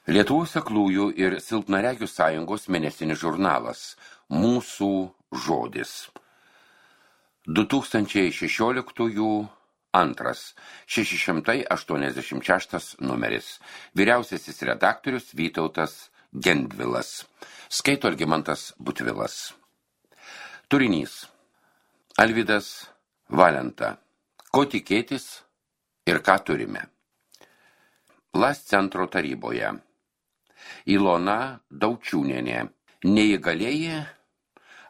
Lietuvos aklųjų ir silpnaregių sąjungos mėnesinis žurnalas Mūsų žodis. 2016 antras 686 numeris. Vyriausiasis redaktorius Vytautas Gendvilas. Skaito Algimantas Butvilas. Turinys. Alvydas Valenta. Ko tikėtis ir ką turime? LAS centro taryboje. Ilona Daučiūnienė. Neįgalieji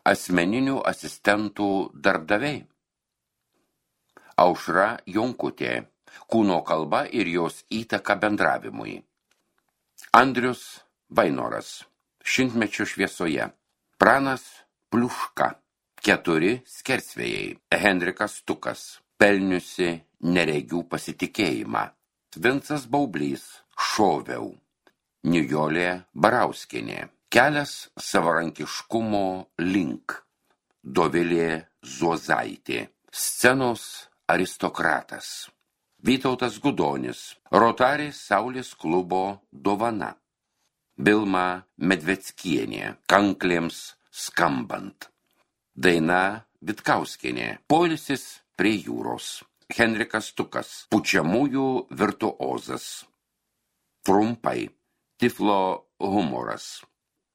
asmeninių asistentų darbdaviai. Aušra Jonkutė. Kūno kalba ir jos įtaka bendravimui. Andrius Vainoras. Šimtmečio šviesoje. Pranas Pliuška. 4 skersvėjai. Henrikas Stukas. Pelniusi neregių pasitikėjimą. Vincas Baublys. Šoviau. Nijolė Barauskienė. Kelias savarankiškumo link. Dovilė Zuozaitė. Scenos aristokratas. Vytautas Gudonis. Rotary Saulės klubo dovana. Bilma Medveckienė. Kanklėms skambant. Daina Vitkauskienė. Poilsis prie jūros. Henrikas Stukas. Pučiamųjų virtuozas. Trumpai. Tiflo humoras.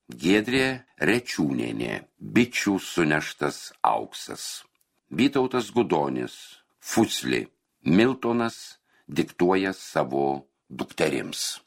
Giedrė Rečiūnienė. Bičių suneštas auksas. Vytautas Gudonis. Fuslį. Miltonas diktuoja savo dukterims.